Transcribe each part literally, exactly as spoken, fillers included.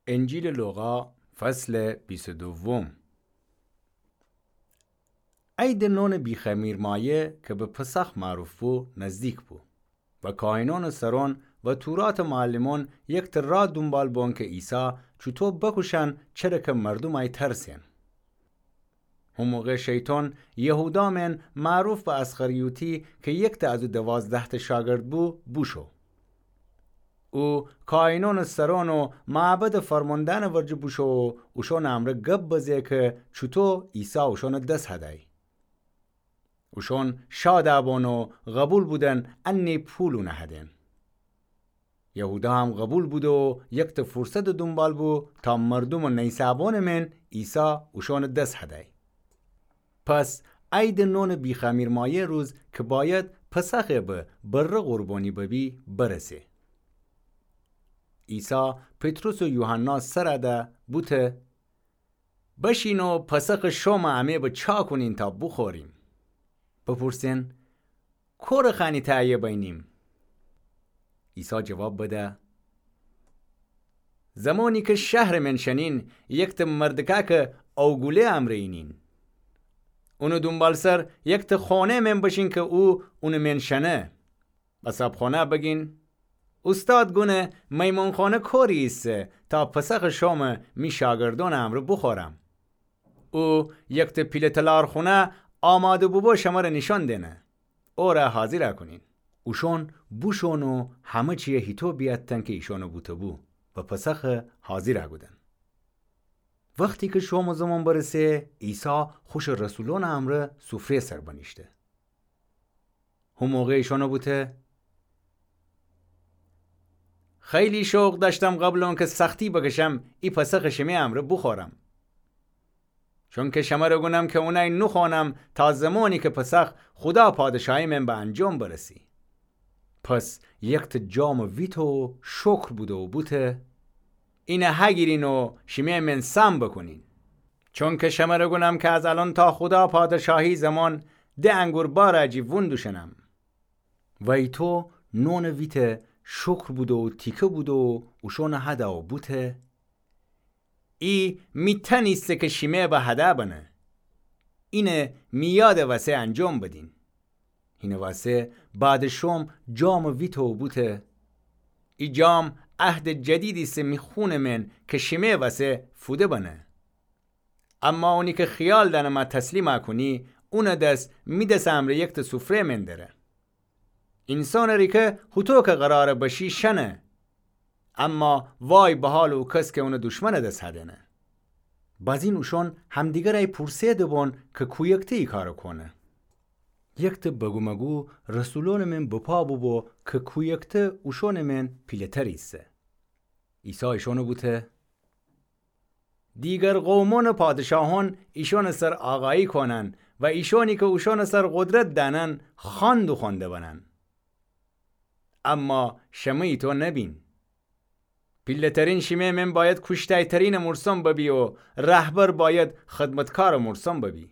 انجیلٚ لوقا، فصلٚ بیست و دوم. عیدٚ نونٚ بی‌خمیرمایه کی به پسخ معروف بو، نزدیک بو و کاهینأنٚ سرون و توراتٚ معلمون یکته راه دونبال بون کی عیسی چوطو بکوشن، چره کی مردوم ای ترسئن. هو موقع شیطان یهودا مئن، معروف به اسخریوطی، کی یکته از او دوازده‌تأ شاگرد بو، بوشو. او کاهینأنٚ سرون و معبدٚ فرماندأنٚ ورجه بوشو و اوشونٚ امرأ گب بزه کی چوطو عیسی اوشونٚ دس هدی. اوشون شاد بون و قوبیل بودن انه پول اونه هدئن. یهودا هم قوبیل بوده و یکته فرصتٚ دونبال بو تا مردومٚ نیسه‌بونٚ مئن عیسی اوشونٚ دس هدی. پس عیدٚ نونٚ بی‌خمیرمایه روز کی بأید پسخ به بره قربانی ببی، برسه. عیسی پطرس و یوحنا سر ده بوته: بشین و پسخٚ شومٚ امه به چا کونین تا بوخوریم. بپورسئن: کورٚ خأنی تهیه بینیم؟ عیسی جواب بده: زمانی کی شهرٚ مئن شنین، یکته مردکأکٚ اوگوله امرأ اینین. اونٚ دونبالسر یکته خانه مئن بشین کی او اونٚ مئن شنه. به صابخانه بگین: اوستاد گونه میمانخانه کوری ایسه تا پسخٚ شوم می شاگردونٚ امرأ بوخورم. او یکته پیله‌تلارخونه آماده بوبو شمره نیشأن دئنه. اوره حاضر کونین. اوشون بوشون و همه چیه هیطو بیأتن کی ایشانه بوته‌بو و پسخه حاضر کودن. وختی کی شومٚ زمان برسه، عیسی خوشٚ رسولونٚ امرأ سفره سر بنیشته. هو موقع ایشانه بوته: خیلی شوق دأشتم قبلٚ اونکی سختی بکشم، ای پسخ شمه امرأ بوخورم. چونکی شمره گونم کی اونی نوخوأنم تا زمانی کی پسخ خودا پادشاهی مئن به انجام برسی. پس یکته جامٚ ویته و شکر بوده و بوته: اینه هگیرین و شمه مئن سهم بکونین. چونکی شمره گونم کی از الأن تا خودا پادشاهی زمان ده انگور بارٚ جی وون دوشنم. ویتو نونٚ ویته، شکر بوده و تیکه بوده و اوشونٚ هده و بوته: ای می تن ایسه کی شیمه به هده بنه. اینه می یادٚ وسه انجام بدین. هینٚ وسه بعدٚ شوم جامٚ ویته و بوته: ای جام عهدٚ جدید ایسه می خونٚ مئن کی شیمه وسه فوده بنه. اما اونی کی خیال دأنه مه تسلیم کونی، اونٚ دس می دسٚ امرأ یکته سفره مئن دره. اینسانٚ ریکه هوطو کی قراره بشی شنه، اما وای به حالٚ او کس کی اونٚ دشمنٚ دس هدینه. بازین اوشون همدیگرأی پورسه دبون کی کویکته ای کاره کونه. یکته بگومگو رسولونٚ مئن بپا بوبو کی کویکته اوشونٚ مئن پیله‌تر ایسه. عیسی ایشانه بوته: دیگر قومونٚ پادشاهون ایشانٚ سر آقایی کونن و ایشانی کی اوشانٚ سر قدرت دأنن خان دوخوأنده بنن. اما شمه ایتو نبین. پیله‌ترین شیمه مئن بأید کوشته‌ترینٚ مورسان ببی و رهبر بأید خدمتکارٚ مورسان ببی.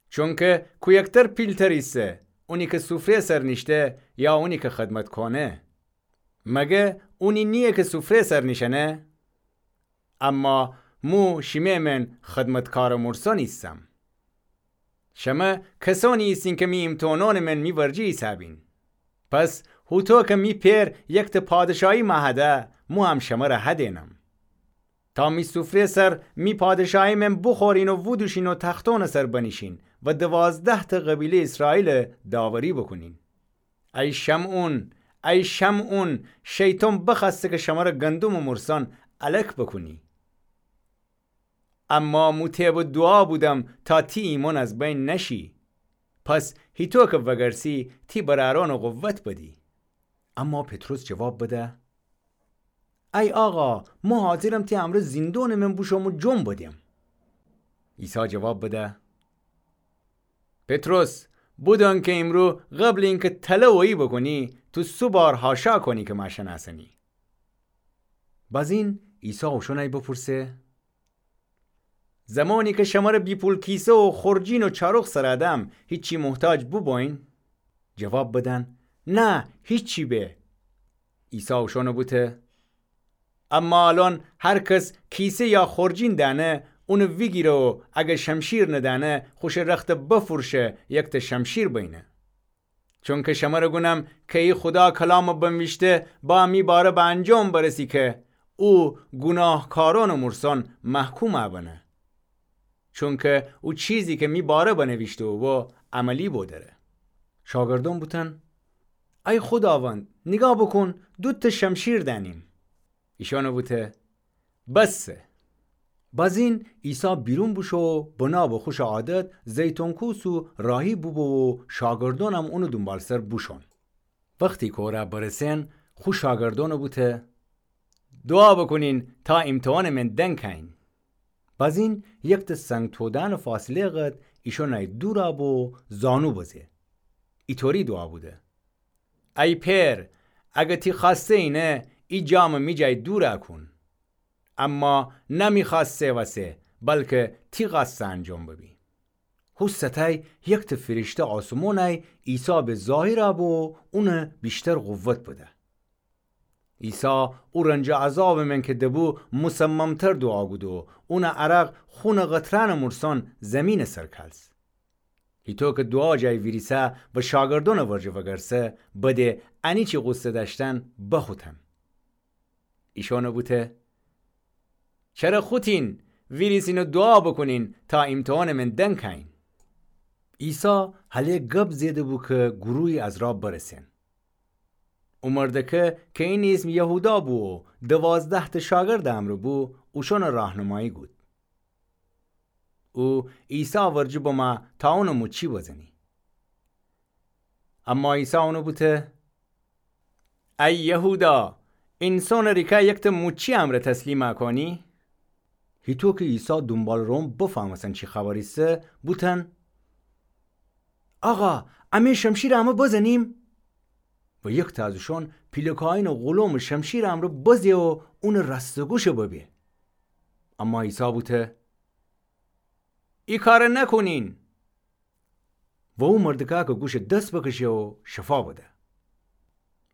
چونکی کویکتر پیلتر ایسه، اونی کی سفره سر نیشته یا اونی کی خدمت کونه؟ مگه اونی نییه کی سفره سر نیشأنه؟ اما مو شیمه مئن خدمتکارٚ مورسان ایسم. شمه کسانی ایسین کی می ایمتحانونٚ مئن می ورجه ایسه‌بین. پس هوطو کی می پئر یکته پادشاهی مه هده، مو هم شمره هدینم. تا می سفره سر می پادشاهی مئن بوخورین و وودوشین و تختونٚ سر بنیشین و دوازده‌تأ قبیله‌یٚ ایسرائیل داوری بوکونین. ای شمعون، ای شمعون، شیطان بخوأسته کی شمره گندمٚ مورسان الک بوکونی. اما مو تی به دوعا بودم تا تی ایمأن از بین نشی. پس هیطو کی وگرسی تی برأرأن قوت بدی. اما پطرس جواب بده: ای آقا، مو حاضرم تی امرأ زیندونٚ مئن بوشوم و جون بدیم. عیسی جواب بده: پطرس، بودون کی ایمرو قبلٚ اینکی تله اویی بوکونی، تو سه بار حاشا کونی کی مه شنأسنی. بازین عیسی اوشونأی بپورسه: زمانی کی شمره بی پول کیسه و خورجین و چاروخ سر دم، هیچی محتاج بوبوین؟ جواب بدن: نه، هیچی به. عیسی اوشونه بوته: اما الأن هر کس کیسه یا خورجین دأنه، اونٚ ویگیره و اگر شمشیر ندأنه، خوشٚ رختٚ بفروشه، یکتأ شمشیر بینه. چونکه شمرأ گونم کی خودا کلامٚ بنویشته با می باره به انجام برسی کی او گوناهکارأنٚ مورسأن محکوم بنه. چونکه او چیزی کی می باره بنویشته بو عملی بودره. شاگردأن بوتن: ای خوداوند، نیگاه بوکون، دوتأ شمشیر دأنیم. ایشأنٚ بوته: بسه. بازین عیسی بیرون بوشو و بنا به خوشٚ عادت زیتون کوسٚ راهی بوبو و شاگردأنم اونٚ دونبالسر بوشون. وختی کوره برسن، خو شاگردأنٚ بوته: دوعا بوکونین تا ایمتحانٚ من دنگ کأیین. بازین یکتأ سنگ تودأنٚ فاصله قد ایشأنأی دورأ بو و زانو بزه. ایطوری دوعا بوده: ای پئر، اگر تی خوأسته اینه، ای جامٚ می جای دورأ کون. اما نه می خوأسته وسه، بلکه تی خوأسته انجام ببی. هو ساعتأی یکتأ فیرشته آسمونأی عیسی به ظاهرأ بو و اونٚ ویشتر قوت بده. عیسی او رنج و عذابٚ من کی دبو مصممتر دوعا کود و اونٚ عرق خونٚ قطرأنٚ مورسأن زیمینٚ سر کلس. هیطو کی دوعا جای ویریسه و شاگردأنٚ ورجه وگرسه، بده انیچی غوصه دأشتن بخوتن. ایشأنٚ بوته: چره خوتین؟ ویریسین و دوعا بوکونین تا ایمتحانٚ من دنگ کأیین. عیسی هله گب زئیده‌بو کی گروهی از راه برسن. او مردکه کی اینٚ ایسم یهودا بو و دوازده‌تأ شاگردٚ امرأ بو، اوشأنٚ راهنمایی کود. او عیسی ورجه بمه تا اونٚ موچی بزنی. اما عیسی اونٚ بوته: ای یهودا، اینسانٚ ریکه یکتأ موچی امرأ تسلیمأ کونی؟ هیطو کی عیسی دونبالٚ روم بفهمستن چی خبر ایسه، بوتن: آقا، امه شمشیرٚ امه بزنیم؟ و یکتأ از اوشأن پیلکاینٚ غلومٚ شمشیرٚ امرأ بزه و اونٚ رأستٚ گوشه ببه. اما عیسی بوته: ای کاره نکونین. و او مردکه کی گوشه دس بکشه و شفا بده.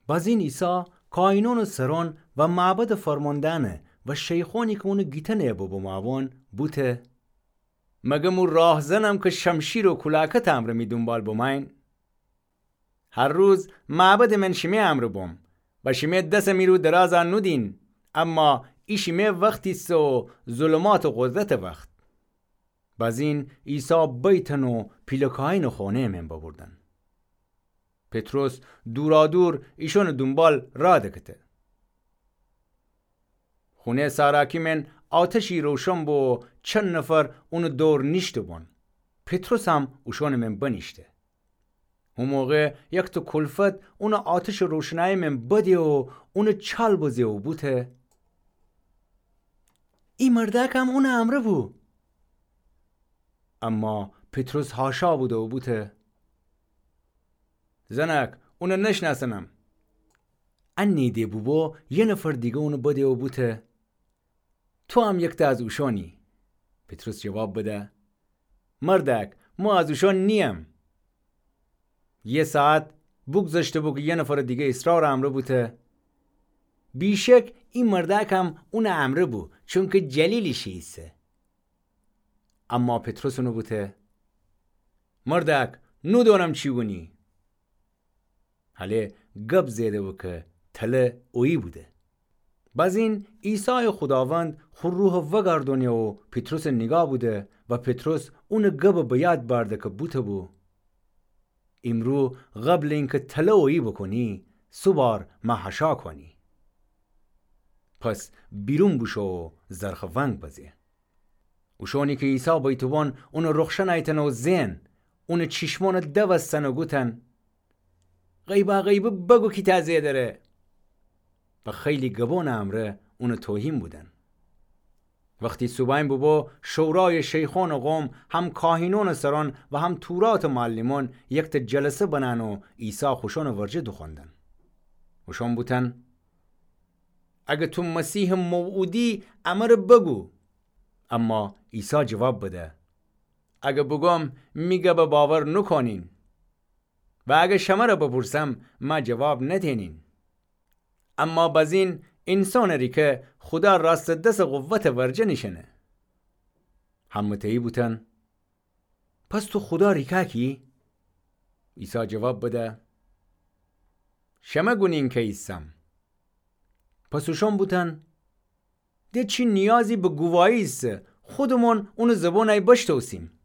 بازین عیسی کاهینأنٚ سرأن و معبدٚ فرماندأنه و شیخأنی کی اونٚ گیتنه ببومأبون بوته: مگر مو راهزنم کی شمشیر و کولاکتٚ امرأ می دونبال بمأیین؟ هر روز معبدٚ من شیمه امرأ بوم و شیمه دسٚ می رو درازأ نودین، اما ای شیمه وخت ایسه و ظلمات و قدرتٚ وخت. بازین عیسی بیتن و پیلکاینٚ خونه‌یٚ من ببردن. پطرس دورادور ایشأنٚ دونبال راه دکته. خونه‌یٚ ساراکی من آتشی روشن بو و چند نفر اونٚ دور نیشته‌بون. پطرسم اوشأنٚ من بنیشته. هو موقع یکتأ کلفت اونٚ آتشٚ روشنایی من بده و اونٚ چال بزه و بوته: ای مردأکم اونٚ امرأ بو. اما پطرس حاشا بوده و بوته: زنأک، اونٚ نشنأسنم. انی‌ده بوبو، یه نفر دیگه اونٚ بده و بوته: توام یکتأ از اوشأنی. پطرس جواب بده: مردأک، مو از اوشأن نییم. یه ساعت بوگذشته‌بو کی یه نفرٚ دیگه اصرارٚ امرأ بوته: بیشک ای مردأکم اونٚ امرأ بو، چونکی جلیلی شی ایسه. اما پطرس اونٚ بوته: مردأک، نودونم چی گونی. هله گب زئیده‌بو کی تله اویی بوده. بازین عیسایٚ خوداوند خو روحٚ وگردأنه و پطرسٚ نیگاه بوده و پطرس اونٚ گبٚ به یاد بأرده کی بوته‌بو: ایمرو قبلٚ اینکی تله اویی بوکونی، سه بار مه حاشا کونی. پس بیرون بوشو و زرخٚ ونگ بزه. اوشأنی کی عیسی بیته‌بون اونٚ رخشن ایتن و زئن، اونٚ چیشمأنٚ دوستن و گوتن: غیباغیبی بگو کی تأ زئیدره. و خیلی گبأنٚ امرأ اونٚ توهین بودن. وختی صوبحأن بوبو، شورایٚ شیخأنٚ قوم، هم کاهینأنٚ سرأن و هم توراتٚ معلمأن یکتأ جلسه بنأن و عیسی خوشأنٚ ورجه دوخوأندن. اوشأن بوتن: اگر تو مسیحٚ موعودی، امر بگو. اما عیسی جواب بده: اگر بوگوم، می گب باور نوکونین. و اگر شمر بپورسم، مه جواب ندینین. اما بزین اینسانٚ ریکه خودا راستٚ دسٚ قوتٚ ورجه نیشأنه. همه‌تأیی بوتن: پس تو خودا ریکأ کی؟ عیسی جواب بده: شمه گونین کی ایسم. پس اوشأن بوتن: ده چی نیازی به گووایی ایسه، خودمون اونٚ زبونأی بشتوسیم.